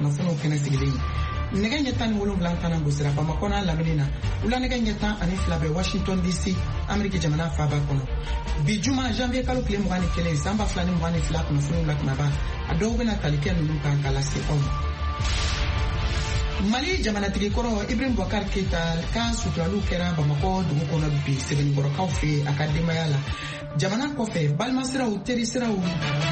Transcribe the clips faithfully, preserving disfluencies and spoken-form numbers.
Kunnafoniw kɛnɛ sigilen ye nɛgɛ ɲɛ tan ni wolonwula tana gosira Bamakɔ n'a lamini na, wula nɛgɛ ɲɛ tan ani fila bɛ Washington D C, Ameriki jamana faaba kɔnɔ. Bi juma, janvier kalo tile mugan ni kelen, san ba fila ni mugan ni fila, kunnafoniw la kumaba a dɔw bɛna tali kɛ ninnu kan k'a lase aw ma. Mali jamanatigi kɔrɔ Ibrahim Boubacar Keita ka suturaliw kɛra Bamakɔ dugu kɔnɔ bi Sɛbɛnnikɔrɔkaw fɛ a ka denbaya la. Jamana kɔfɛ, balimasiraw, terisiraw,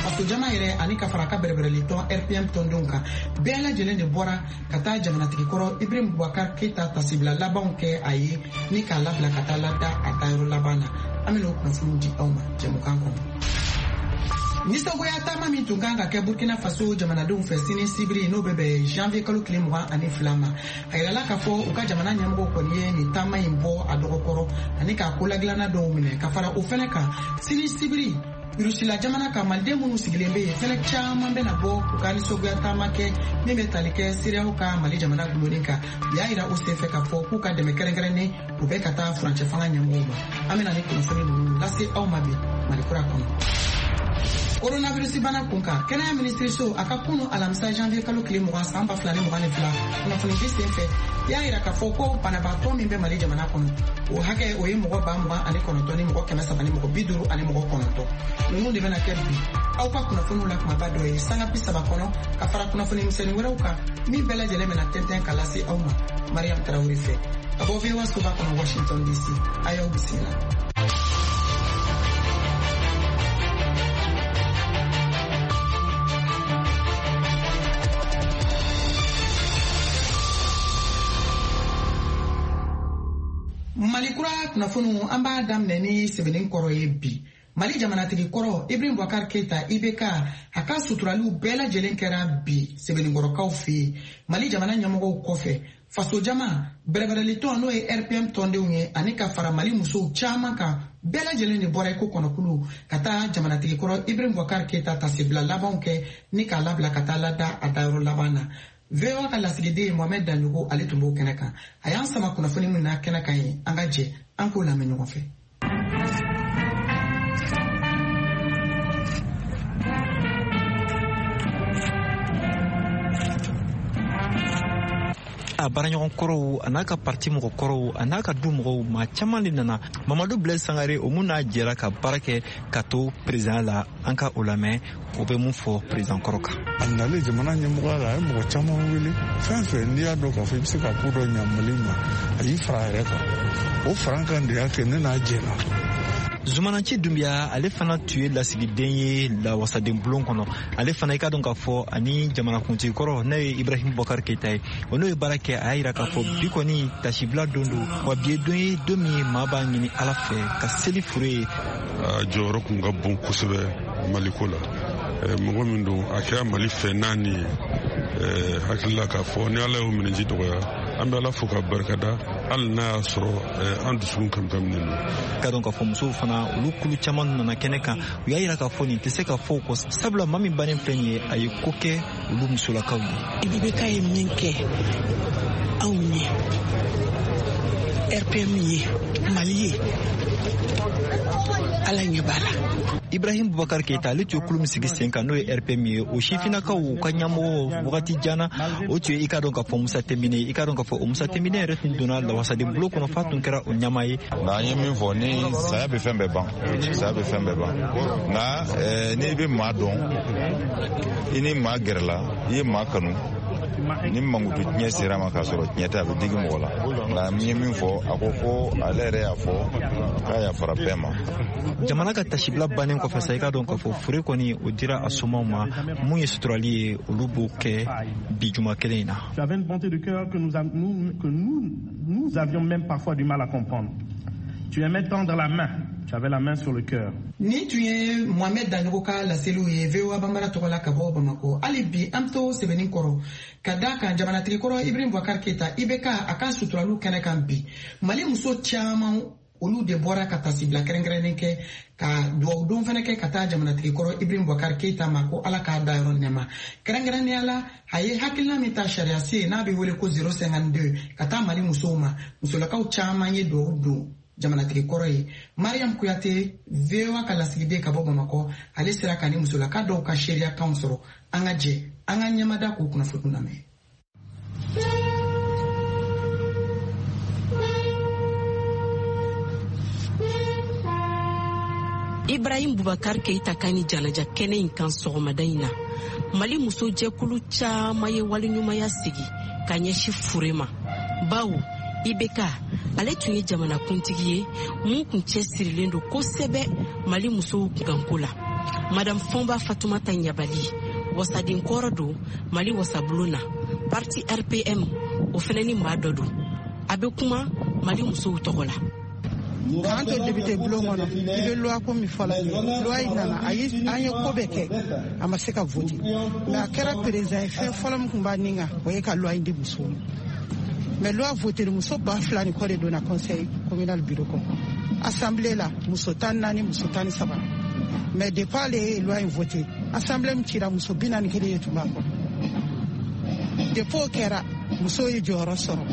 fasojama yɛrɛ ani ka fara a ka bɛrɛbɛrɛli tɔn R P M tɔndenw kan, bɛɛ lajɛlen de bɔra ka taa jamanatigi kɔrɔ Ibrahim Boubacar Keita tasibila labanw kɛ a ye ni k'a labila ka taa lada a taayɔrɔ laban na. An bɛna o kunnafoniw di aw ma jɛmukan kɔnɔ. Nisɔngoya taama min tun kan ka kɛ Burkina Faso jamanadenw fɛ sini sibiri, n'o bɛ bɛn janvier kalo tile mugan ani fila ma, a yirala k'a fɔ u ka jamana ɲɛmɔgɔw kɔni ye nin taama in bɔ a dɔgɔkɔrɔ ani k'a koladilanna dɔw minɛ. Ka fara o fɛnɛ kan, sini sibiri, Rusila jamana kan, maliden minnu sigilen bɛ yen fɛnɛ caman bɛna bɔ u ka nisɔngoya taama kɛ min bɛ tali kɛ CEDEAO ka Mali jamana gulonnen kan. U y'a yira o senfɛ k'a fɔ k'u ka dɛmɛ kɛrɛnkɛrɛnnen u bɛ ka taa furancɛ fanga ɲɛmɔgɔw ma. An bɛna ni kunnafoni ninnu lase aw ma bi Mali kura kɔnɔ. Coronavirus bana kun kan, kɛnɛya minisiriso a ka kunu alamisa janvier kalo tile mugan, san ba fila ni mugan ni fila, kunnafonidi sen fɛ y'a yira k'a fɔ ko banabaatɔ min bɛ Mali jamana kɔnɔ, o hakɛ o ye mɔgɔ ba mugan ani kɔnɔntɔn ni mɔgɔ kɛmɛ saba ni mɔgɔ bi duuru ani mɔgɔ kɔnɔntɔn. Ninnu de bɛna kɛ bi aw ka kunnafoniw la kumaba dɔ ye sanga bi saba kɔnɔ, ka fara kunnafoni misɛnnin wɛrɛw kan min bɛɛ lajɛlen bɛna tɛntɛn ka lase aw ma Mariam Tarawele fɛ ka bɔ V O A soba kɔnɔ Washington D C. A y'aw bisimila. Mali kura kunnafoniw, an b'a daminɛ ni sɛbɛnni kɔrɔ ye bi. Mali jamanatigi kɔrɔ Ibrahim Boubacar Keita, I B K, a ka suturaliw bɛɛ lajɛlen kɛra bi Sɛbɛnnikɔrɔkaw fɛ yen. Mali jamana ɲɛmɔgɔw kɔfɛ, fasojama bɛrɛbɛrɛlitɔn, n'o ye R P M tɔndenw ye, ani ka fara Mali musow caman kan, bɛɛ lajɛlen de bɔra i ko kɔnɔkulu ka taa jamanatigi kɔrɔ Ibrahim Boubacar Keita tasibila labanw kɛ ni k'a labila ka taa lada a dayɔrɔ laban na. V O A ka lasigiden Mohamed Daɲogo, ale tun b'o kɛnɛ kan. A y'an sama kunnafoni min na kɛnɛ kan ye, an ka jɛ an k'o lamɛn ɲɔgɔn fɛ. A baaraɲɔgɔn kɔrɔw, a n'a ka parti mɔgɔ kɔrɔw, a n'a ka du mɔgɔw, maa caman de nana. Mamadu Blaise Sangare, o mun n'a jɛra ka baara kɛ ka to président la, an ka o lamɛn, o bɛ mun fɔ président kɔrɔ kan. A nalen jamana ɲɛmɔgɔya la, a ye mɔgɔ caman wele. Fɛn fɛn n'i y'a dɔn k'a fɔ i bɛ se ka ko dɔ ɲa Mali ma, a y'i fara a yɛrɛ kan. O faran kan de y'a kɛ ne n'a jɛna. Zumananci Dunbiya, ale fana tun ye lasigiden ye lawasaden bulon kɔnɔ. Ale fana, i ka dɔn k'a fɔ ani jamanakuntigi kɔrɔ, n'o ye Ibrahim Bɔkari Keyita ye, o n'o ye baara kɛ. A y'a yira k'a fɔ bi kɔni tasibila don don wa, bi ye don ye, don min maa b'a ɲini Ala fɛ ka seli fure ye. A jɔyɔrɔ kun ka bon kosɛbɛ Maliko la. Mɔgɔ min don, a kɛra Mali fɛ naani ye. Hakilila k'a fɔ ni Ala y'o minɛji dɔgɔya, an bɛ Ala fo ka barikada, hali n'a y'a sɔrɔ an dusukun kamikaminen don. Ka dɔn k'a fɔ musow fana, olu kulu caman nana kɛnɛ kan. U y'a yira k'a fɔ nin tɛ se ka fɔ o kɔ, sabula maa min bannen filɛ nin ye, a ye ko kɛ olu musolakaw ye. I B K ye min kɛ anw ye, R P M ye, Mali ye, Ala ɲɛ b'a la. Ibrahim Bubakar Keita, ale tun ye kulu min sigi sen kan, n'o ye R P M ye, o sifinnakaw ka ɲɛmɔgɔ wagati jana, o tun ye, i k'a dɔn k'a fɔ, Musa Tɛnbine. I k'a dɔn k'a fɔ o Musa Tɛnbine yɛrɛ tun donna lawasaden bulon kɔnɔ f'a tun kɛra o ɲɛmaa ye. Nka an ye min fɔ, ni saya bɛ fɛn bɛɛ ban, saya bɛ fɛn bɛɛ ban. Nka n'i bɛ maa dɔn, i ni maa gɛrɛla, i ye maa kanu, ni mankutu tiɲɛ sera ma k'a sɔrɔ tiɲɛ tɛ, a bɛ digi mɔgɔ la. Nka n ye min fɔ, a ko ko ale yɛrɛ y'a fɔ k'a yafara bɛɛ ma. Jamana ka tasibila bannen kɔfɛ sa, i k'a dɔn k'a fɔ fure kɔni o dira a somaw ma. Mun ye suturali ye, olu b'o kɛ bi juma kelen in na. Tu avais une bonté de cœur que nous, nous, que nous, nous avions même parfois du mal à comprendre. Tu aimais tendre la main, tu avais la main sur le cœur. Nin tun ye Mohamed Daɲogo ka laseliw ye V O A Banbara tɔgɔ la ka bɔ Bamakɔ. Hali bi an to sɛbɛnni kɔrɔ ka da kan jamanatigi kɔrɔ Ibrahim Boubacar Keita, I B K, a ka suturaliw kɛnɛ kan bi, Mali muso caman, olu de bɔra ka tasibila kɛrɛnkɛrɛnnen kɛ ka duwawu don fɛnɛ kɛ ka taa jamanatigi kɔrɔ Ibrahim Boubacar Keita ma, ko Ala k'a da yɔrɔ nɛma. Kɛrɛnkɛrɛnnenya la, a ye hakilina min ta sariya se n'a bɛ wele ko zéro cinquante-deux ka taa Mali musow ma, musolakaw caman ye duwawu don jamanatigi kɔrɔ ye. Mariam Kuyate, V O A ka lasigiden ka bɔ Bamakɔ, ale sera ka ni musolaka dɔw ka seereyakanw sɔrɔ. An ka jɛ An ka ɲɛmada k'o kunnafoni lamɛn. Ibrahim Boubacar Keita ka ni janaja kɛnɛ in kan sɔgɔmada in na, Mali musojɛkulu caman ye waleɲumanya sigi ka ɲɛsin fure ma, bawo I B K ale tun ye jamanakuntigi ye mun kun cɛsirilen don kosɛbɛ Mali musow kunkanko la. Madame Fɔnba Fatumata Ɲabali, wasaden kɔrɔ don Mali wasabulon na, parti R P M o fɛnɛ ni maa dɔ don. A bɛ kuma Mali musow tɔgɔ la. K'an to député bulon kɔnɔ, i bɛ loi ko min fɔla nin ye, loi in nana, a ye an ye ko bɛɛ kɛ, a ma se ka voter. Mais a kɛra président ye, fɛn fɔlɔ min tun b'a nin kan, o ye ka loi in di musow ma. Mais loi voter muso ba fila ni kɔ de donna conseil communal bureau kɔnɔ. Assemblée la, muso tan naani, muso tan ni saba. Mais depuis ale ye loi in voter, assemblée min cira muso bi naani kelen de tun b'a kɔnɔ. Depuis o kɛra, musow ye jɔyɔrɔ sɔrɔ.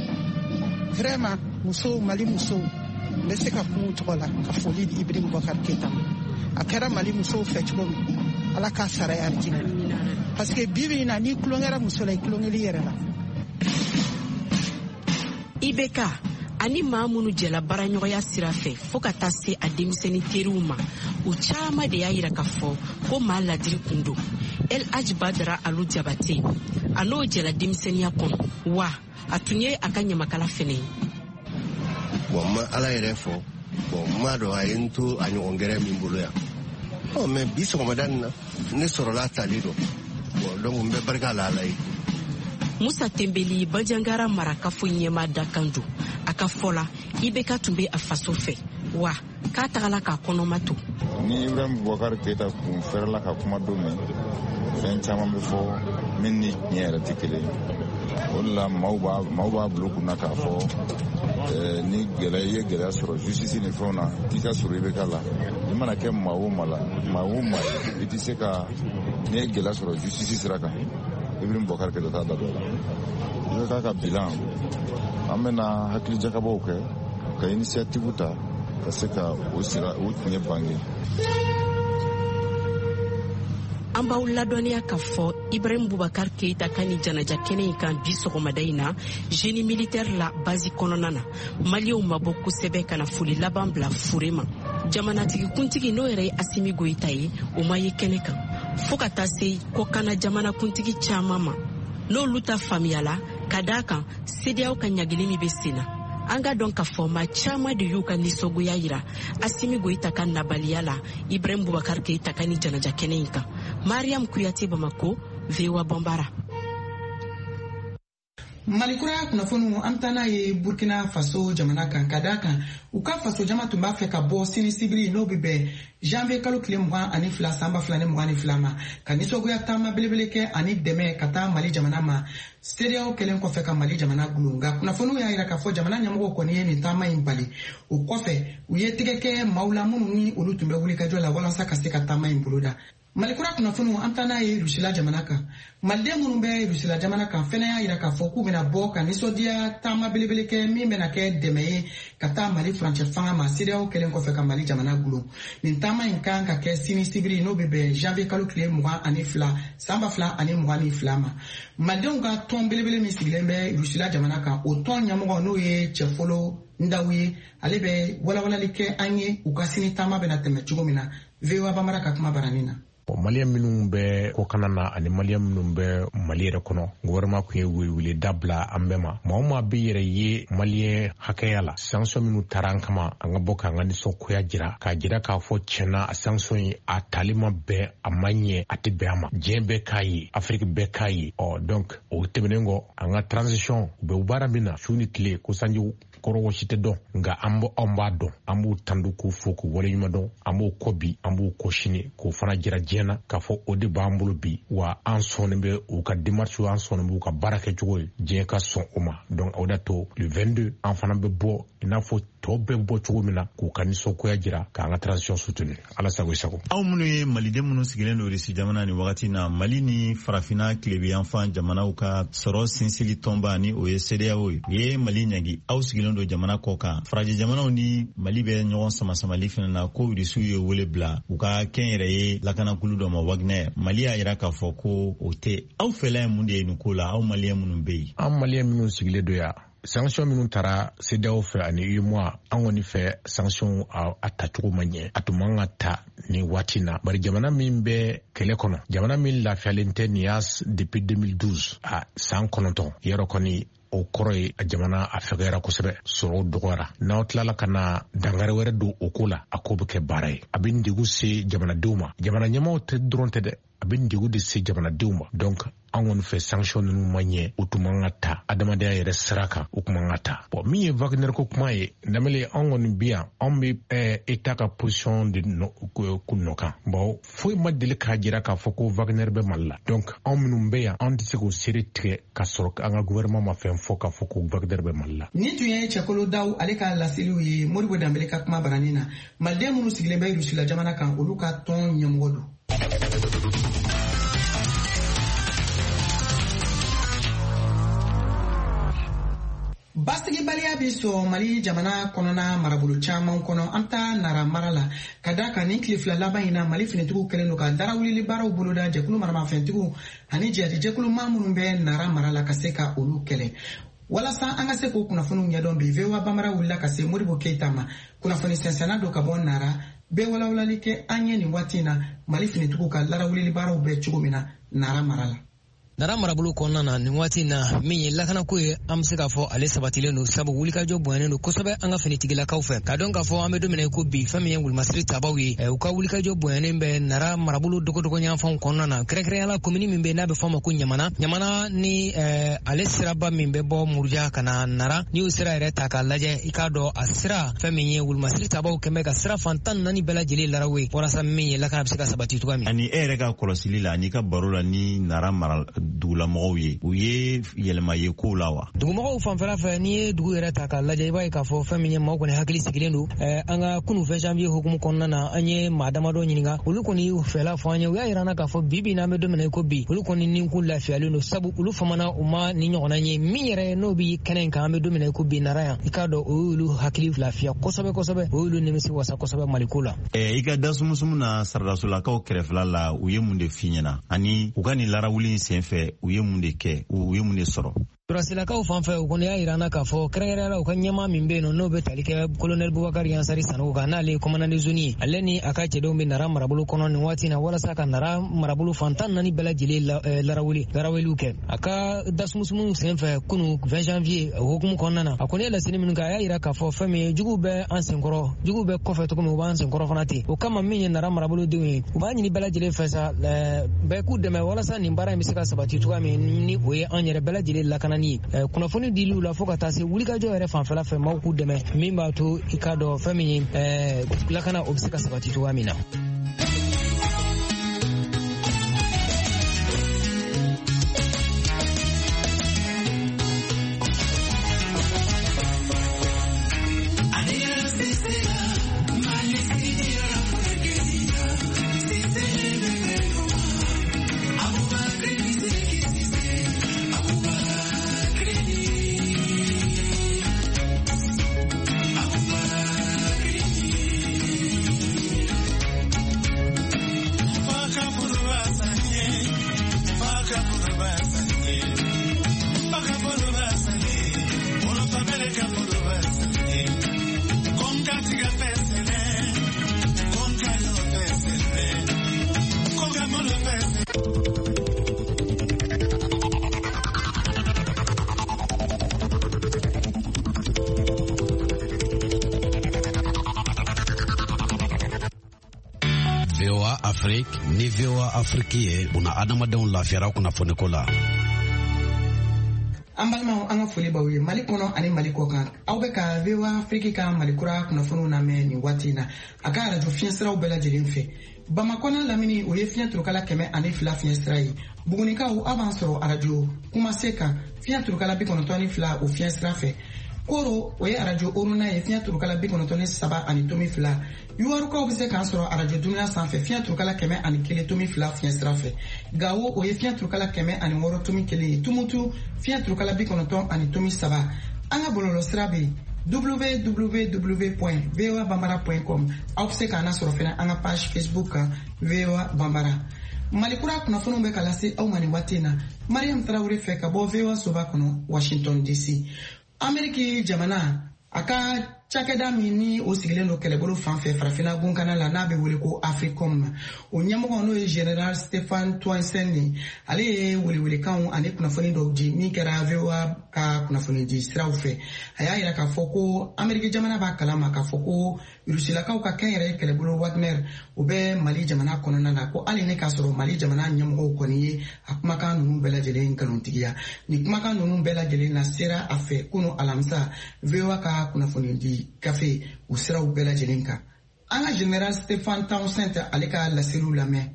Vraiment, musow, Mali musow, n bɛ se ka kuma u tɔgɔ la ka foli di Ibrahim Boubacar Keita ma. A kɛra Mali musow fɛ cogo min, Ala k'a sara ye alijinɛ la. Parce que bi bi in na, n'i tulonkɛra muso la, i tulonkɛli yɛrɛ la. I B K ani maa minnu jɛla baaraɲɔgɔnya sira fɛ fo ka taa se a denmisɛnnin teriw ma, u caman de y'a yira k'a fɔ ko maa ladiri kun don. El Hadj Badara Alu Jabate, a n'o jɛla denmisɛnninya kɔnɔ, wa a tun ye a ka ɲamakala fɛnɛ ye. Bon, n ma Ala yɛrɛ fɔ, bon, n m'a dɔn a ye n to a ɲɔgɔn gɛrɛ min bolo yan. Ɔ, mais bi sɔgɔmada nin na, ne sɔrɔla a tali dɔn. Bon, donc n bɛ barika la Ala ye. Musa Tembeli Banjangara marakafo ɲɛmaa dakan don. A ka fɔ la, I B K tun bɛ a faso fɛ, wa k'a tagala k'a kɔnɔma to. Ni Ibrahim Boubacar Keita kun fɛrɛla ka kuma don min, fɛn caman bɛ fɔ min ni tiɲɛ yɛrɛ tɛ kelen ye. O de la maaw b'a maaw b'a bila u kunna k'a fɔ ni gɛlɛya i ye gɛlɛya sɔrɔ justice ni fɛnw na, k'i ka sɔrɔ I B K la. I mana kɛ maa o maa la, maa o maa ye, i tɛ se ka n'i ye gɛlɛya sɔrɔ justice sira kan, Ibrahim Boubacar Keita t'a da don a la. I B K ka bilan, an bɛna hakili jakabɔw kɛ ka initiative ta ka se ka o sira o tiɲɛ bange. An b'aw ladɔnniya k'a fɔ Ibrahim Boubacar Keita ka ni janaja kɛnɛ in kan bi sɔgɔmada in na, génie militaire la base kɔnɔna na, Maliyɛnw ma bɔ kosɛbɛ ka na foli laban bila fure ma. Jamanatigi kuntigi n'o yɛrɛ ye Asimi Goyita ye, o ma ye kɛnɛ kan. Fo ka taa se kɔkanna jamanakuntigi caman ma, n'olu ta faamuyala ka d'a kan CEDEAO ka ɲagili min bɛ sen na. An ka dɔn k'a fɔ maa caman de y'u ka nisɔngoya yira Asimi Goyita ka nabaliya la Ibrahim Boubacar Keita ka ni janaja kɛnɛ in kan. Mariam Kuyate, Bamako, V O A Bambara. Mali kura kunnafoniw, an bɛ taa n'a ye Burkina Faso jamana kan, ka d'a kan u ka faso jama tun b'a fɛ ka bɔ sini sibiri n'o bɛ bɛn janvier kalo tile mugan ani fila san ba fila ni mugan ni fila ma, ka nisɔngoya taama belebele kɛ ani dɛmɛ ka taa Mali jamana ma, CEDEAO kɛlen kɔfɛ ka Mali jamana gulon. Nka kunnafoniw y'a yira k'a fɔ jamana ɲɛmɔgɔw kɔni ye nin taama in bali. O kɔfɛ u ye tɛgɛ kɛ maaw la minnu ni olu tun bɛ wulikajɔ la walasa ka se ka taama in boloda. Mali kura kunnafoniw, an taa n'a ye Rusila jamana kan. Maliden minnu bɛ Rusila jamana kan fɛnɛ y'a yira k'a fɔ k'u bɛna bɔ ka nisɔndiya taama belebele kɛ min bɛna kɛ dɛmɛ ye ka taa Mali furancɛ fanga ma, CEDEAO kɛlen kɔfɛ ka Mali jamana gulon. Nin taama in kan ka kɛ sini sibiri n'o bɛ bɛn janvier kalo tile mugan ani fila san ba fila ani mugan ni fila ma. Malidenw ka tɔn belebele min sigilen bɛ Rusila jamana kan, o tɔn ɲɛmɔgɔ n'o ye Cɛfolo Ndaw ye, ale bɛ walawalali kɛ an ye u ka sini taama bɛna tɛmɛ cogo min na. V O A Bambara ka kuma baranin na. Maliyɛn minnu bɛ kɔkanna na ani maliyɛn minnu bɛ Mali yɛrɛ kɔnɔ, gouvernement kun ye welewele da bila an bɛɛ ma. Maa o maa bɛ yɛrɛ ye maliyɛn hakɛya la, sanction minnu taara an kama, an ka bɔ k'an ka nisɔngoya jira, k'a jira k'a fɔ tiɲɛna a sanction in a tali ma bɛn, a ma ɲɛ, a tɛ bɛn a ma. Diɲɛ bɛɛ k'a ye, Afiriki bɛɛ k'a ye. Ɔ donc o tɛmɛnen kɔ, an ka transition u bɛ baara min na su ni tile, ko sanji kɔrɔ wɔsi tɛ dɔn, nka an b'o anw b'a dɔn, an b'u tandu k'u fo k'u waleɲuman dɔn, an b'o kɔ bi, an b'o kɔ sini, k'o fana jira diɲɛ na k'a fɔ o de b'an bolo bi, wa an sɔnnen bɛ u ka démarche, an sɔnnen b'u ka baara kɛcogo ye, diɲɛ ka sɔn o ma. Donc o de to le vingt-deux an fana bɛ bɔ i n'a fɔ tɔw bɛɛ bɔ cogo min na k'u ka nisɔngoya jira k'an ka transition soutenir. Ala sago i sago. Aw minnu ye maliden minnu sigilen don Irisi jamana ni wagati na, Mali ni farafinna tilebiyanfan jamanaw ka sɔrɔ sinsili tɔnba ni o ye CEDEAO ye, u ye Mali ɲangi. Aw sigilen don jamana kɔ kan, farajɛ jamanaw ni Mali bɛ ɲɔgɔn samasamali fana na ko Irisiw ye wele bila u ka kɛnyɛrɛye lakanakulu dɔ ma, Wagner. Mali y'a yira k'a fɔ ko o tɛ. Aw fɛla ye mun de ye nin ko la, aw maliyɛn minnu bɛ yen? An maliyɛn minnu sigilen don yan, sanction minnu taara CEDEAO fɛ ani UEMOA, an kɔni fɛ sanction a tacogo ma ɲɛ, a tun man ka ta nin waati na. Bari jamana min bɛ kɛlɛ kɔnɔ, jamana min lafiyalen tɛ nin y'a depuis deux mille douze, a san kɔnɔntɔn yɔrɔ kɔni, o kɔrɔ ye a jamana a fɛgɛyara kosɛbɛ, sɔrɔ dɔgɔyara. N'aw tilala ka na dankari wɛrɛ don o ko la, a ko bɛ kɛ baara ye, a bɛ degun se jamanadenw ma. Jamana ɲɛmaaw tɛ dɔrɔn tɛ dɛ, a bɛ degun de se jamanadenw ma. Donc an kɔni fɛ sanction ninnu ma ɲɛ, o tun man ka ta adamadenya yɛrɛ sira kan, o tun man ka ta. Bon, min ye Wagner ko kuma ye, Danbele, an kɔni bi yan, anw bɛ État ka position de nɔ kan. Bon, foyi ma deli k'a jira k'a fɔ ko Wagner bɛ Mali la. Donc anw minnu bɛ yan, anw tɛ se k'o seere tigɛ k'a sɔrɔ an ka gouvernement ma fɛn fɔ k'a fɔ ko Wagner bɛ Mali la. Nin tun ye Cɛkolo Daw ale ka laseliw ye Modibo Danbele ka kuma baranin na. Maliden minnu sigilen bɛ Rusila jamana kan, olu ka tɔn ɲɛmɔgɔ don. Basigibaliya bi sɔrɔ Mali jamana kɔnɔna marabolo caman kɔnɔ. An taa Nara mara la, ka da kan nin tile fila laban in na, Mali finitigiw kɛlen don ka darawulili baaraw boloda jɛkulu maramafɛntigiw ani jihadijɛkulu maa minnu bɛ Nara mara la ka se ka olu kɛlɛ. Walasa an ka se k'o kunnafoniw ɲɛdɔn bi, V O A Bambara wulila ka se Modibo Keyita ma, kunnafoni sɛnsɛnna don ka bɔ Nara, bɛɛ walawalali kɛ an ye nin waati in na Mali finitigiw ka larawulili baaraw bɛ cogo min na Nara mara la. Nara marabolo kɔnɔna na nin waati na, min ye lakanako ye, an bɛ se k'a fɔ ale sabatilen don, sabu wulikajɔ bonyanen don kosɛbɛ an ka finitigilakaw fɛ. K'a dɔn k'a fɔ an bɛ don min na i ko bi, fɛn min ye wulumasiri tabaw ye, u ka wulikajɔ bonyanen bɛ Nara marabolo dogodogoyanfanw kɔnɔna na, kɛrɛnkɛrɛnnenya la komini min bɛ n'a bɛ fɔ a ma ko Ɲamana. Ɲamana ni ale siraba min bɛ bɔ Muruja ka na Nara, n'i y'o sira yɛrɛ ta k'a lajɛ, i k'a dɔn a sira fɛn min ye wulumasiri tabaw kɛn bɛ ka sira fan tan ni naani bɛɛ lajɛlen larawe, walasa min ye lakana bɛ se ka sabati cogoya min. Ani e yɛrɛ ka kɔlɔsili la, an'i ka baro la ni Nara mara dugulamɔgɔw ye, u ye yɛlɛma ye kow la wa? Dugumɔgɔw fanfɛla fɛ, n'i ye dugu yɛrɛ ta k'a lajɛ, i b'a ye k'a fɔ fɛn min ye maaw kɔni hakili sigilen don. An ka kunu vingt janvier hukumu kɔnɔna na, an ye maa damadɔ ɲininka, olu kɔni y'u fɛla fɔ an ye. U y'a yira an na k'a fɔ bi bi in na, an bɛ don min na i ko bi, olu kɔni ni kun lafiyalen don, sabu olu famana u ma ni ɲɔgɔnna ye min yɛrɛ n'o bi kɛnɛ in kan. An bɛ don min na i ko bi Nara yan, i k'a dɔn o y'olu hakili lafiya kosɛbɛ kosɛbɛ, o y'olu nimisi wasa kosɛbɛ Maliko la. I ka dasumusumu na saradasolakaw kɛrɛfɛla la, u ye mun de f'i ɲɛna, ani u ka nin larawuli in sen fɛ, u ye mun de kɛ, u ye mun de sɔrɔ? Sɔrɔsilakaw fan fɛ, u kɔni y'a yira an na k'a fɔ kɛrɛnkɛrɛnnenya la u ka ɲɛmaa min bɛ yen nɔ, n'o bɛ tali kɛ colonel Bubakar Yansari Sanogo kan, n'ale ye commandant de zone ye, ale ni a ka cɛdenw bɛ Nara marabolo kɔnɔ nin waati na, walasa ka Nara marabolo fan tan naani bɛɛ lajɛlen larawuli larawuliw kɛ. A ka dasumusumu sen fɛ kunu vingt janvier hukumu kɔnɔna na, a kɔni ye laseli minnu kɛ, a y'a yira k'a fɔ fɛn min ye juguw bɛ an senkɔrɔ, juguw bɛ kɔfɛ cogo min, u b'an senkɔrɔ fana ten. O kama min ye Nara marabolodenw ye, u b'a ɲini bɛɛ lajɛlen fɛ sa, bɛɛ k'u dɛmɛ walasa nin baara in bɛ se ka sabati cogoya min, ni o ye an yɛrɛ bɛɛ lajɛlen lakana. Kunnafoni diliw la fo ka taa se wulikajɔ yɛrɛ fanfɛla fɛ, maaw k'u dɛmɛ min b'a to i k'a dɔn fɛn min ye lakana o bɛ se ka sabati cogoya min na. V O A Afrique ni V O A Afrique ye buna adamadenw lafiyara kunnafoniko la. An balimaw, an ka foli b'aw ye Mali kɔnɔ ani Mali kɔ kan. Aw bɛ ka V O A Afrique ka Mali kura kunnafoniw lamɛn nin waati in na a ka arajo fiɲɛsiraw bɛɛ lajɛlen fɛ. Bamakɔ n'a lamini, o ye fiɲɛ turukala kɛmɛ ani fila fiɲɛsira ye. Bugunikaw, aw b'an sɔrɔ arajo Kumase kan fiɲɛ turukala bi kɔnɔntɔn ni fila o fiɲɛsira fɛ. Koro o ye arajo Oruna ye fiɲɛ turukala bi kɔnɔntɔn ni saba ani tomi fila. Yuwarukaw bɛ se k'an sɔrɔ arajo Dunuya sanfɛ fiɲɛ turukala kɛmɛ ani kelen tomi fila fiɲɛ sira fɛ. Gawo o ye fiɲɛ turukala kɛmɛ ani wɔɔrɔ tomi kelen ye. Tumutu fiɲɛ turukala bi kɔnɔntɔn ani tomi saba. An ka bɔlɔlɔ sira bɛ yen w w w point voa bambara point com. Aw bɛ se k'an lasɔrɔ fɛnɛ an ka page Facebook kan V O A Bambara. Mali kura kunnafoniw bɛ ka lase aw ma nin waati in na. Mariam Traoré fɛ ka bɔ V O A soba kɔnɔ Washington D C. Ameriki jamana a ka cakɛda min ni o sigilen don kɛlɛbolo fan fɛ farafinna gunkana la n'a bɛ wele ko Africom, o ɲɛmɔgɔ n'o ye General Stephen Townsend ye, ale ye welewelekanw ani kunnafoni dɔw di min kɛra V O A ka kunnafoni di siraw fɛ. A y'a yira k'a fɔ ko Ameriki jamana b'a kalama k'a fɔ ko Rusilakaw ka kɛnyɛrɛye kɛlɛbolo Wagner o bɛ Mali jamana kɔnɔna la, ko hali ne k'a sɔrɔ Mali jamana ɲɛmɔgɔw kɔni ye a kumakan ninnu bɛɛ lajɛlen nkalontigiya. Nin kumakan ninnu bɛɛ lajɛlen na sera a fɛ kunu alamisa V O A ka kunnafoni di gafe o siraw bɛɛ lajɛlen kan. An ka General Stephen Townsend ale ka laseliw lamɛn.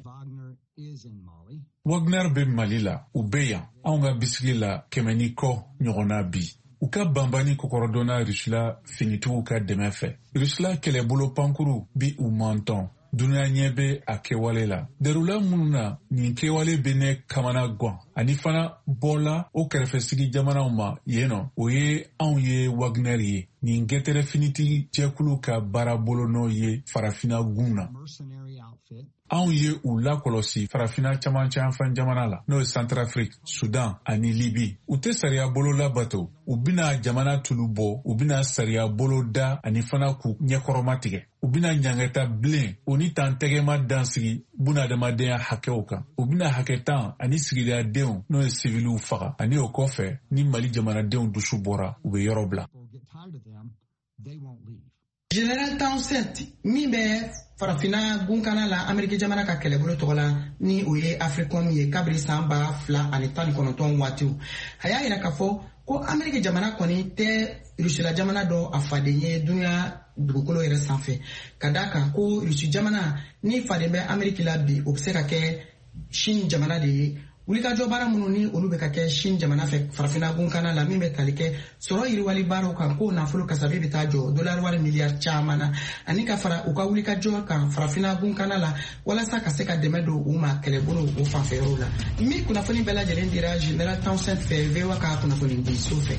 Wagner bɛ Mali la, u bɛ yan anw ka bisigi la kɛmɛ ni kɔ ɲɔgɔnna bi. U ka banbani kɔkɔrɔdɔnna Rusila finitigiw ka dɛmɛ fɛ. Rusila kɛlɛbolo pankuru bi u mantɔn. Dunuya ɲɛ bɛ a kɛwale la. Darula minnu na nin kɛwale bɛ ne kamana gan ani fana bɔla o kɛrɛfɛsigi jamanaw ma yen nɔ, o ye anw ye Wagner ye. Nin gɛtɛrɛ finitigi jɛkulu ka baara bolonɔ ye farafinna gun na. Anw ye u lakɔlɔsi farafinna camancɛ jamana la, n'o ye Centrafrique, Sudan ani Libi. U tɛ sariya bolo labato, u bɛna jamana tulu bɔ, u bɛna sariya bolo da ani fana k'u ɲɛkɔrɔma tigɛ. U bɛna ɲangata bilen o ni tan tɛgɛma dansigi bunadamadenya hakɛw kan. U bɛna hakɛ tan ani sigidadenw n'o ye siviliw faga, ani o kɔfɛ ni Mali jamanadenw dusu bɔra, u bɛ yɔrɔ bila. General Townsend min bɛ farafinna gunkana la Ameriki jamana ka kɛlɛbolo tɔgɔ la ni o ye Africom ye kabiri san ba fila ani tan ni kɔnɔntɔn waatiw, a y'a yira k'a fɔ ko Ameriki jamana kɔni tɛ Rusila jamana dɔ a faden ye dunuya dugukolo yɛrɛ sanfɛ, ka d'a kan ko Rusi jamana ni faden bɛ Ameriki la bi, o bɛ se ka kɛ Chine jamana de ye. Wulikajɔ baara minnu ni olu bɛ ka kɛ Chine jamana fɛ farafinna gunkana la min bɛ tali kɛ sɔrɔ yiriwali baaraw kan, k'o nafolo kasabi bɛ taa jɔ dolari wari miliyari caman na, ani ka fara u ka wulikajɔ kan farafinna gunkana la walasa ka se ka dɛmɛ don u ma kɛlɛbolo o fanfɛyɔrɔw la. Min kunnafoni bɛɛ lajɛlen dira General Townsend fɛ V O A ka kunnafoni di so fɛ.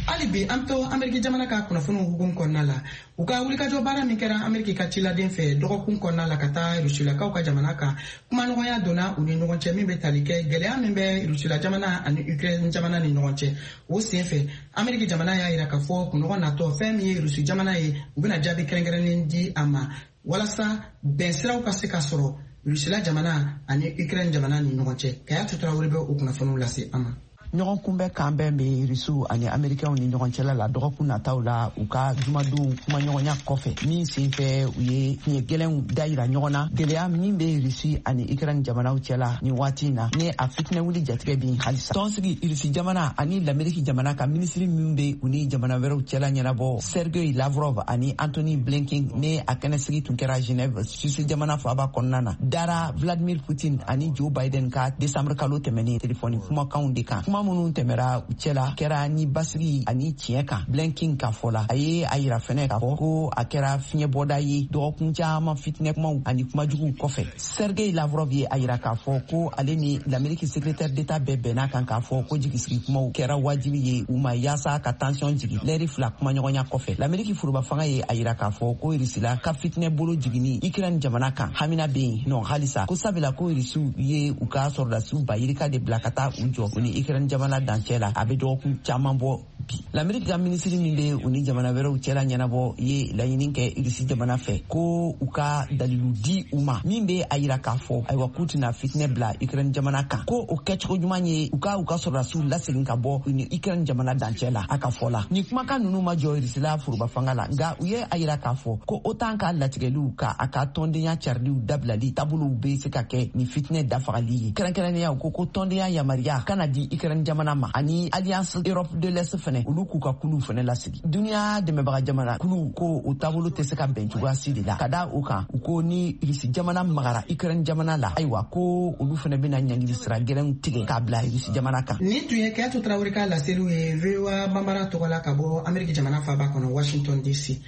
Hali bi an to Ameriki jamana ka kunnafoniw hukumu kɔnɔna la, u ka wulikajɔ baara min kɛra Ameriki ka ciladen fɛ dɔgɔkun kɔnɔna la ka taa Rusilakaw ka jamana kan, kumaɲɔgɔnya donna u ni ɲɔgɔn cɛ min bɛ tali kɛ gɛlɛya min bɛ Rusila jamana ani Ukraine jamana ni ɲɔgɔn cɛ. O sen fɛ Ameriki jamana y'a yira k'a fɔ kunɲɔgɔn natɔ fɛn min ye Rusi jamana ye, u bɛna jaabi kɛrɛnkɛrɛnnen di a ma walasa bɛnsiraw ka se ka sɔrɔ Rusila jamana ani Ukraine jamana ni ɲɔgɔn cɛ. Kayatu Traoré bɛ o kunnafoniw lase an ma. Ɲɔgɔn kunbɛ kan bɛn bɛ Rusiw ani Amerikɛnw ni ɲɔgɔn cɛla la dɔgɔkun nataw la u ka jumadenw kumaɲɔgɔnya kɔfɛ, min senfɛ u ye fiɲɛ gɛlɛnw dayira ɲɔgɔn na. Gɛlɛya min bɛ Rusi ani Ukraine jamanaw cɛla nin waati in na, ni a fitinɛ wuli jatigɛ bin halisa. Tɔnsigi Rusi jamana ani Lameriki jamana ka minisiri min bɛ u ni jamana wɛrɛw cɛla ɲɛnabɔ, Sergei Lavrov ani Anthony Blinken, ni a kɛnɛsigi tun kɛra Genève, Suisse jamana faaba kɔnɔna na, dara Vladimir Putin ani Joe Biden ka décembre kalo tɛmɛnen telefɔni kumakanw de kan. Kuma minnu tɛmɛra u cɛla kɛra ni basigi ani tiɲɛ kan. Blinken ka fɔ la, a ye a yira fɛnɛ k'a fɔ ko a kɛra fiɲɛbɔda ye dɔgɔkun caman fitinɛ kumaw ani kumajuguw kɔfɛ. Sergei Lavrov ye a yira k'a fɔ ko ale ni l'Amérique secrétaire d'État bɛɛ bɛnna kan k'a fɔ ko jigisigi kumaw kɛra wajibi ye u ma yaasa ka tension jigin lɛri fila kumaɲɔgɔnya kɔfɛ. L'Amérique foroba fanga ye a yira k'a fɔ ko Rusila ka fitinɛ bolo jiginni Ukraine jamana kan hamina bɛ yen nɔ halisa, ko sabula ko Rusiw ye u ka sɔrɔdasiw ba yirika de bila ka taa u jɔ u ni Ukraine jamana dancɛ la, a bɛ dɔgɔkun caman bɔ bi. L'Amérique ka minisiri min bɛ u ni jamana wɛrɛw cɛla ɲɛnabɔ ye laɲini kɛ Rusi jamana fɛ ko u ka dalilu di u ma min bɛ a yira k'a fɔ ayiwa k'u tɛna fitinɛ bila Ukraine jamana kan, ko o kɛcogo ɲuman ye u ka u ka sɔrɔdasiw lasegin ka bɔ u ni Ukraine jamana dancɛ la. A ka fɔ la, nin kumakan ninnu ma jɔ Rusila foroba fanga la, nka u ye a yira k'a fɔ ko OTAN ka latigɛliw ka a ka tɔndenya cariliw dabilali taabolow bɛ se ka kɛ nin fitinɛ dafagali ye. Kɛrɛnkɛrɛnnenya u ko ko tɔndenya yamaruya kana di Ukraine jamana ma ani Alliance Europe de l'Est fɛnɛ fɛnɛ, olu k'u ka kuluw fɛnɛ lasigi. Duniya dɛmɛbaga jamana kulu ko o taabolo tɛ se ka bɛn cogoya si de la. Ka da o kan, u ko ni Irisi jamana magara Ukraine jamana la, ayiwa ko olu fɛnɛ bɛna ɲangili sira gɛlɛnw tigɛ k'a bila Irisi jamana kan. Nin tun ye Kɛtu Tarawele ka laseliw ye V O A Bambara tɔgɔ la ka bɔ Ameriki jamana faaba kɔnɔ Washington D C.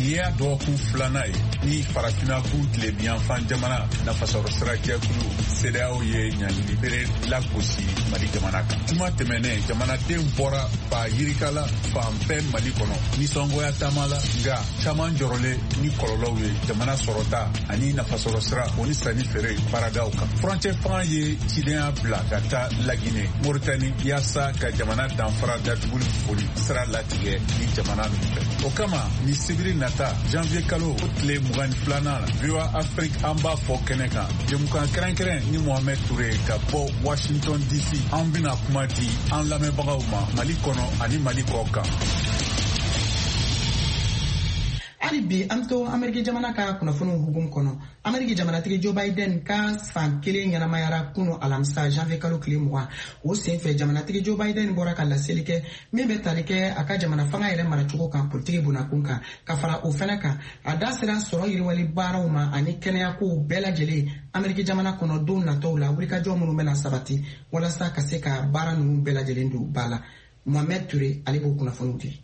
Nin y'a dɔgɔkun filanan ye ni farafinna kun tilebinyanfan jamana nafasɔrɔ sira jɛkulu CEDEAO ye ɲangili bere lagosi Mali jamana kan. Juma tɛmɛnen, jamanaden bɔra ba yirika la fan bɛɛ Mali kɔnɔ nisɔngoya taama la, nka caman jɔrɔlen ni kɔlɔlɔw ye jamana sɔrɔta ani nafasɔrɔ sira o ni sanni feere baaradaw kan. Furancɛ fanga ye cidenya bila ka taa Lagine, Moritani, yaasa ka jamana danfara datuguli foli sira latigɛ ni jamana ninnu fɛ. O kama ni sibiri na janvier kalo o tile mugan ni filanan la, V O A Afrique an b'a fɔ kɛnɛ kan jɛmukan kɛrɛnkɛrɛn ni Mohamed Touré ka bɔ Washington D C. An bɛna kuma di an lamɛnbagaw ma Mali kɔnɔ ani Mali kɔ kan. Hali bi an to Ameriki jamana ka kunnafoniw hukumu kɔnɔ. Ameriki jamanatigi Joe Biden ka san kelen ɲɛnamayara kunu alamisa janvier kalo tile mugan. O senfɛ jamanatigi Joe Biden bɔra ka laseli kɛ min bɛ tali kɛ a ka jamana fanga yɛrɛ maracogo kan politiki bunakun kan. Ka fara o fɛnɛ kan, a da sera sɔrɔ yiriwali baaraw ma ani kɛnɛyakow bɛɛ lajɛlen Ameriki jamana kɔnɔ don nataw la, wulikajɔ minnu bɛna sabati walasa ka se ka baara ninnu bɛɛ lajɛlen don ba la. Mohamed Touré ale b'o kunnafoniw di.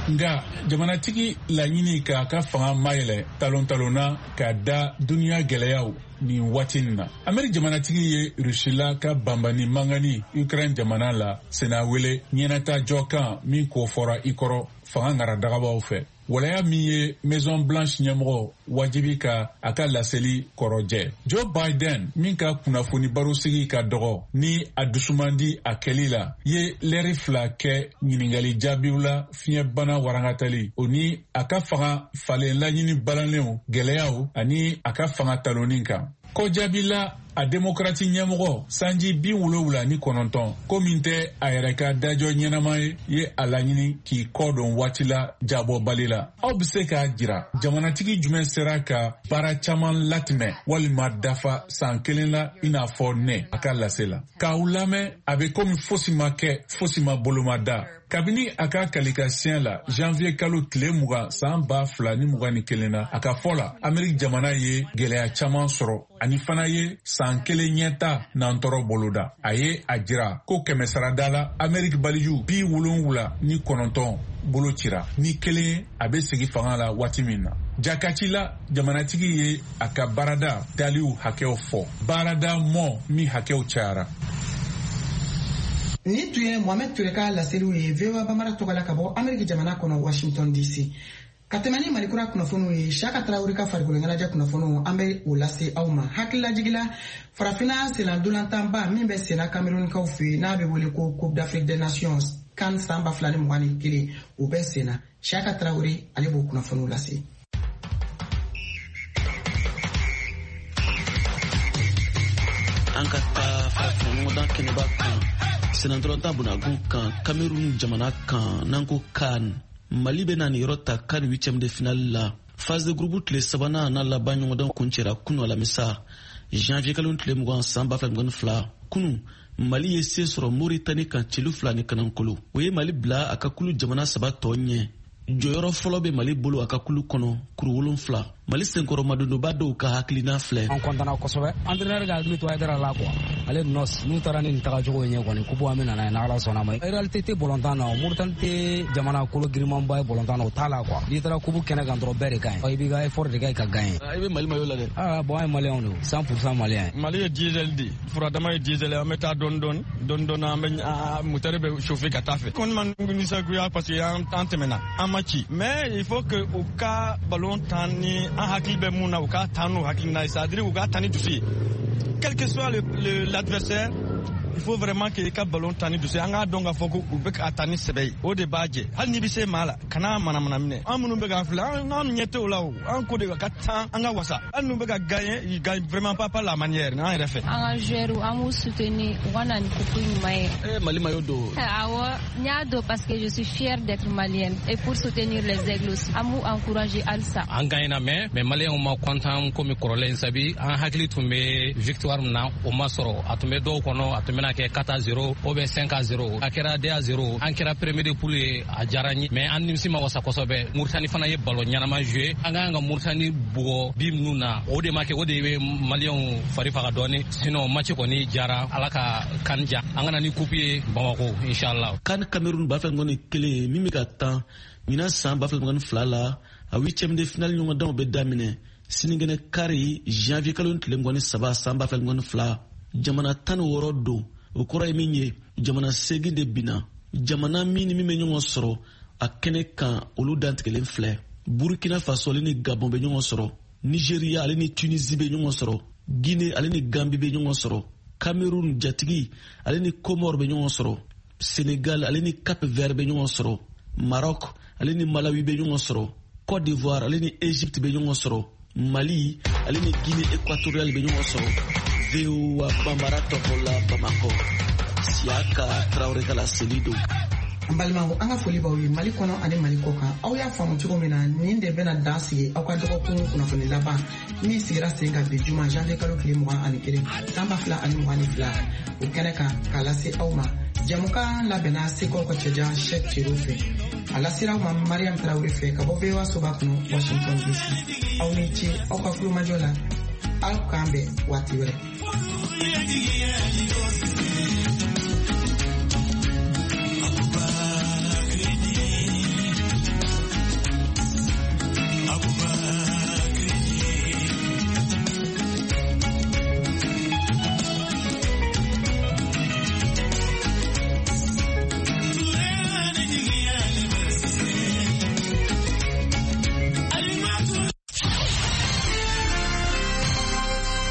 Nka jamanatigi laɲini k'a ka fanga mayɛlɛ talon-talonna ka da duniya gɛlɛyaw nin waati nin na. Ameriki jamanatigi ye Rusila ka banbani mangani Ukraine jamana la sena wele ɲɛnata jɔkan min kofɔra i kɔrɔ fanga ŋaradagabaw fɛ. Walaya min ye Maison Blanche ɲɛmɔgɔ wajibi ka a ka laseli kɔrɔjɛ. Joe Biden min ka kunnafoni barosigi ka dɔgɔ ni a dusumandi a kɛli la, ye lɛri fila kɛ ɲiningali jaabiw la fiɲɛbana warangatali o ni a ka fanga falen laɲini balanlenw gɛlɛyaw ani a ka fanga taloni kan. Kɔjaabila a demokrati ɲɛmɔgɔ sanji bi wolonwula ni kɔnɔntɔn ko min tɛ a yɛrɛ ka dajɔ ɲɛnama ye ye a laɲini k'i kɔ don waati la jabɔbali la. Aw bɛ se k'a jira jamanatigi jumɛn sera ka baara caman latimɛ walima dafa san kelen la i n'a fɔ ne a ka lase la. K'aw lamɛn a bɛ komi fosi ma kɛ fosi ma bolomada. Kabini a ka kalikasiyɛn la janvier kalo tile mugan san ba fila ni mugan ni kelen na, a ka fɔ la Ameriki jamana ye gɛlɛya caman sɔrɔ ani fana ye san kelen ɲɛta nantɔrɔ boloda. A ye a jira ko kɛmɛ sarada la Ameriki baliju bi wolonwula ni kɔnɔntɔn bolo cira ni kelen a bɛ sigi fanga la waati min na. Jakaci la jamanatigi ye a ka baarada daliw hakɛw fɔ, baarada mɔ min hakɛw cayara. Nin tun ye Mohamed Touré ka laseliw ye V O A Bambara tɔgɔ la ka bɔ Ameriki jamana kɔnɔ Washington D C. Ka tɛmɛ ni Mali kura kunnafoniw ye, Siaka Tarawele ka farikolo ɲɛnajɛ kunnafoniw an bɛ o lase aw ma. Hakililajigila farafinna senna-ntolantanba min bɛ senna Camerounkaw fɛ yen n'a bɛ wele ko Coupe d'Afrique des Nations CAN san ba fila ni mugan ni kelen, o bɛ senna. Siaka Tarawele ale b'o kunnafoniw lase. An ka taa farafinna ɲɔgɔndan kɛnɛba kan senna-ntolantan bunagun kan Cameroun jamana kan n'an ko CAN. Mali bɛ na nin yɔrɔ ta CAN huitième de finale la. Phase de groupe tile sabanan n'a laban ɲɔgɔndan kuncɛra kunu alamisa janvier kalo tile mugan san ba fila mugan ni fila. Kunu Mali ye se sɔrɔ Mauritanie kan celu fila ni kanankolo. O ye Mali bila a ka kulu jamana saba tɔ ɲɛ. Jɔyɔrɔ fɔlɔ bɛ Mali bolo a ka kulu kɔnɔ kuru wolonfila. Mali senkɔrɔmadonba dɔw ka hakilina filɛ. An kɔntana kosɛbɛ. Entraîneur ka hakili to Haidara la quoi. Ale nɔs n'u taara ni nin tagacogo ye kɔni kupu an bɛ nana ye n'Ala sɔnna ma. Réalité tɛ bɔlɔntan na o. Mauritanie tɛ jamana kolo girimanba ye bɔlɔntan na o t'a la quoi. N'i taara kupu kɛnɛ kan dɔrɔn bɛɛ de ka ɲi. I b'i ka effort de kɛ ka gagner. I bɛ Mali maillot la dɛ. Ah bon an ye maliyɛnw de ye cent pour cent maliyɛn. Mali ye diesel de ye. Furadama ye diesel ye an bɛ taa dɔɔni dɔɔni dɔɔni dɔɔni an bɛ moteur bɛ chauffer ka taa fɛ. Kɔni ma nisɔngoya parce que an tɛmɛna an ma ci. Mais il faut que u ka ballon tan ni an hakili bɛ mun na u k'a ta n'u hakilina ye, c'est à dire u k'a ta ni dusu ye. Quel que soit l'adversaire, il faut vraiment que i ka ballon ta ni dusu ye. An k'a dɔn k'a fɔ ko u bɛ k'a ta ni sɛbɛ ye, o de b'a jɛ. Hali n'i bɛ se maa la, kana manamana minɛ. An minnu bɛ k'a filɛ, an ɲɛ tɛ o la o. An ko de ka tan an ka wasa. Hali n'u bɛ ka gagner, ils gagnent vraiment pas par la manière n'an yɛrɛ fɛ. An ka joueurs an b'u soutenir u ka na ni coupe ɲuman ye. Eh Mali maillot don. Awɔ, n y'a don parce que je suis fière d'être malienne et pour soutenir les aigles aussi. An b'u encourager halisa. An gagnera mais mais maliyɛnw ma content komi kɔrɔlen sabi an hakili tun bɛ victoire min na o ma sɔrɔ. A tun bɛ dɔw kɔnɔ, a tun bɛ bɛna kɛ quatre à zéro ou bien cinq à zéro. A kɛra deux à zéro. An kɛra premier de poule ye, a diyara n ye. Mais an nimisi ma wasa kosɛbɛ. Mauritanie fana ye ballon ɲɛnama jouer. An ka kan ka Mauritanie bugɔ bi minnu na, o de ma kɛ, o de bɛ Maliyɛnw fari faga dɔɔni. Sinon match kɔni diyara, Ala ka kan diya. An ka na ni coupe ye Bamako inshallah. CAN Cameroun ba fila mugan ni kelen min bɛ ka tan ɲinan san ba fila mugan ni fila la, a huitième de finale ɲɔgɔndanw bɛ daminɛ sinikɛnɛ kari janvier kalo tile mugan ni saba san ba fila mugan ni fila. Jamana tan ni wɔɔrɔ don, o kɔrɔ ye min ye jamana seegin de binna. Jamana min ni min bɛ ɲɔgɔn sɔrɔ a kɛnɛ kan, olu dantigɛlen filɛ. Burkina Faso ale ni Gabon bɛ ɲɔgɔn sɔrɔ, Nigeria ale ni Tunisie bɛ ɲɔgɔn sɔrɔ, Guinée ale ni Gambie bɛ ɲɔgɔn sɔrɔ, Cameroun jatigi ale ni Comore bɛ ɲɔgɔn sɔrɔ, Sénégal ale ni Cap Vert bɛ ɲɔgɔn sɔrɔ, Maroc ale ni Malawi bɛ ɲɔgɔn sɔrɔ, Côte d'Ivoire ale ni Égypte bɛ ɲɔgɔn sɔrɔ, Mali ale ni Guinée équatoriale bɛ ɲɔgɔn sɔrɔ. V O A Bambara tɔgɔ la Bamakɔ, Siaka Traoré ka laseli don. An balimaw, an ka foli b'aw ye Mali kɔnɔ ani Mali kɔ kan. Aw y'a faamu cogo min na, nin de bɛna dan sigi aw ka dɔgɔkun kunnafoni laban min sigira sen kan bi juma janvier kalo tile mugan ani kelen san ba fila ani mugan ni fila o kɛnɛ kan k'a lase aw ma. Jamukan labɛnna Seko ka cɛjan Cheick Cero fɛ, a lasera aw ma Mariam Traoré fɛ ka bɔ V O A soba kɔnɔ Washington D C. Aw ni ce aw ka kulomajɔ la, aw k'an bɛn waati wɛrɛ.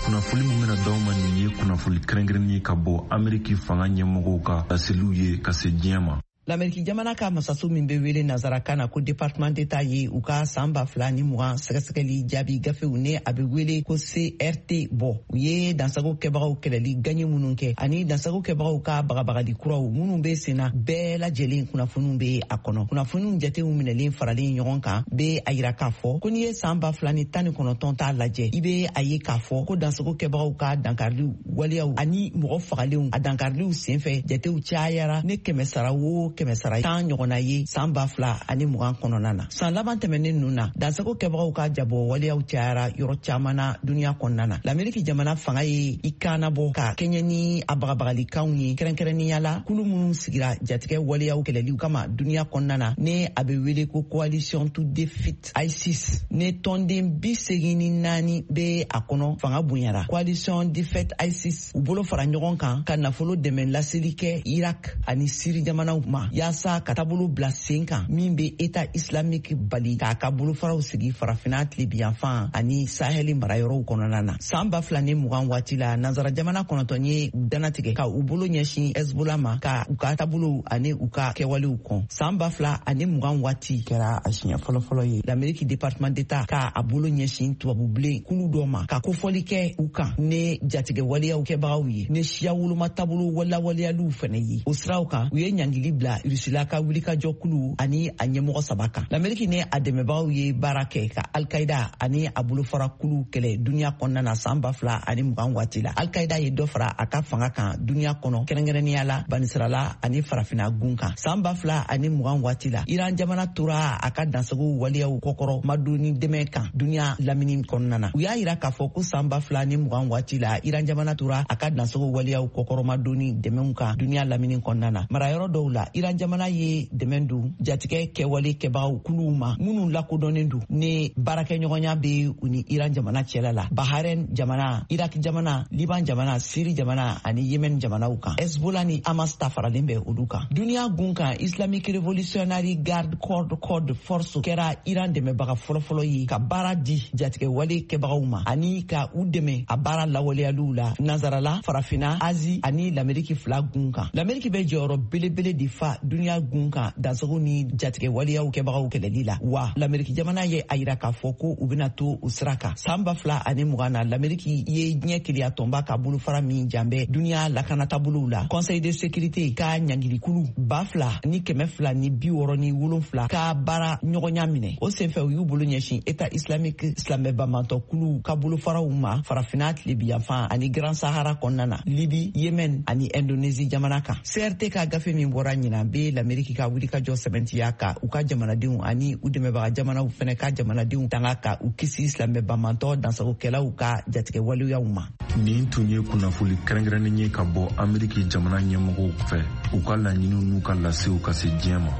Kunnafoni min bɛna d'aw ma nin ye kunnafoni kɛrɛnkɛrɛnnen ka bɔ Ameriki fanga ɲɛmɔgɔw ka laseliw ye ka se diɲɛ ma. L'Amérique jamana ka masaso min bɛ wele nansarakan na ko département d'État ye u ka san ba fila ni mugan sɛgɛsɛgɛli jaabi gafew ne a bɛ wele ko C R T bɔ. U ye dansago kɛbagaw kɛlɛli gaɲɛ minnu kɛ ani dansago kɛbagaw ka bagabagali kuraw minnu bɛ senna bɛɛ lajɛlen kunnafoniw bɛ a kɔnɔ. Kunnafoniw jatew minɛlen faralen ɲɔgɔn kan bɛ a yira k'a fɔ ko n'i ye san ba fila ni tan ni kɔnɔntɔn t'a lajɛ, i bɛ a ye k'a fɔ ko dansago kɛbagaw ka dankariliw waleyaw ani mɔgɔ fagalenw a dankariliw senfɛ jatew cayara ne kɛmɛ sara o kɛmɛ sara tan ɲɔgɔnna ye san ba fila ani mugan kɔnɔna na. San laban tɛmɛnen ninnu na, dansago kɛbagaw ka jabɔ waleyaw cayara yɔrɔ caman na duniya kɔnɔna na. Lameriki jamana fanga ye i kanna bɔ ka kɛɲɛ ni a bagabagalikanw ye, kɛrɛnkɛrɛnnenya la kulu minnu sigira jatigɛ waleyaw kɛlɛliw kama duniya kɔnɔna na ne a bɛ wele ko Coalition to Defeat ISIS ne tɔnden bi segin ni naani bɛ a kɔnɔ fanga bonyara. Coalition Defeat ISIS u bolo fara ɲɔgɔn kan ka nafolo dɛmɛ laseli kɛ Irak ani Siri jamanaw ma yaasa ka taabolo bila sen kan min bɛ État islamique bali k'a ka bolofaraw sigi farafinna tilebiyanfan ani sahɛli marayɔrɔw kɔnɔna na. San ba fila ni mugan waati la, nansara jamana kɔnɔntɔn ye danatigɛ ka u bolo ɲɛsin Hezbollah ma ka u ka taabolow ani u ka kɛwalew kɔn. San ba fila ani mugan waati kɛra a siɲɛ fɔlɔfɔlɔ ye l'Amérique département d'État ka a bolo ɲɛsin tubabubilen kulu dɔ ma ka kofɔli kɛ u kan ne jatigɛ waleyaw kɛbagaw ye ne siya woloma taabolo lawaleyaliw fɛnɛ ye. O siraw kan, u ye ɲangili bila Rusila ka wulikajɔ kulu ani a ɲɛmɔgɔ saba kan. L'Amérique ni a dɛmɛbagaw ye baara kɛ ka Al-Qaïda ani a bolofara kulu kɛlɛ duniya kɔnɔna na san ba fila ani mugan waati la. Al-Qaïda ye dɔ fara a ka fanga kan duniya kɔnɔ, kɛrɛnkɛrɛnnenya la banisirala ani farafinna gun kan. San ba fila ani mugan waati la, Iran jamana tora a ka dansago waleyaw kɔkɔrɔ madonni dɛmɛ kan duniya lamini kɔnɔna na. U y'a yira k'a fɔ ko san ba fila ni mugan waati la, Iran jamana tora a ka dansago waleyaw kɔkɔrɔ madonni dɛmɛw kan duniya lamini kɔnɔna na. Marayɔrɔ dɔw la, Iran jamana ye dɛmɛ don jatigɛ kɛwale kɛbagaw kuluw ma minnu lakodɔnnen don ne baarakɛɲɔgɔnya bɛ u ni Iran jamana cɛla la, Bahrain jamana, Irak jamana, Liban jamana, Siri jamana ani Yemen jamanaw kan. Hezbollah ni Hamas ta faralen bɛ olu kan. Duniya gun kan, Islamic Revolutionary Guard Corps Quds Force kɛra Iran dɛmɛbaga fɔlɔfɔlɔ ye ka baara di jatigɛ wale kɛbagaw ma ani ka u dɛmɛ a baara lawaleyaliw la nansarala, farafinna, Azi ani l'Ameriki fila gun kan. L'Ameriki bɛ jɔyɔrɔ belebele de fa ba duniya gun kan dansago ni jatigɛ waleyaw kɛbagaw kɛlɛli la. Wa Lameriki jamana ye a yira k'a fɔ ko u bɛna to u sira kan. San ba fila ani mugan na, Lameriki ye diɲɛ keleya tɔnba ka bolofara min janbɛ duniya lakanatabolow la, Conseil de sécurité ka ɲangilikulu ba fila ni kɛmɛ fila ni bi wɔɔrɔ ni wolonfila ka baara ɲɔgɔnya minɛ. O senfɛ, u y'u bolo ɲɛsin État islamique silamɛ banbantɔkulu ka bolofaraw ma Farafina tilebiyanfan ani Grand Sahara kɔnɔna na, Libi, Yemen ani Indonésie jamana kan. C R T ka gafe min bɔra ɲinan be Lameriki ka wulikajɔ sɛbɛntiya ka u ka jamanadenw ani u dɛmɛbaga jamanaw fɛnɛ ka jamanadenw tanga ka u kisi silamɛ banbantɔ dansagokɛlaw ka jatigɛ waleyaw ma. Nin tun ye kunnafoli kɛrɛnkɛrɛnnen ye ka bɔ Ameriki jamana ɲɛmɔgɔw fɛ, u ka laɲiniw n'u ka lasew ka se diɲɛ ma.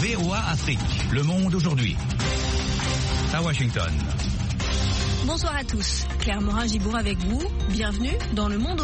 V O A Afrique, le monde aujourd'hui. À Washington. Bonsoir à tous. Claire Morin-Gibourg avec vous. Bienvenue dans le monde.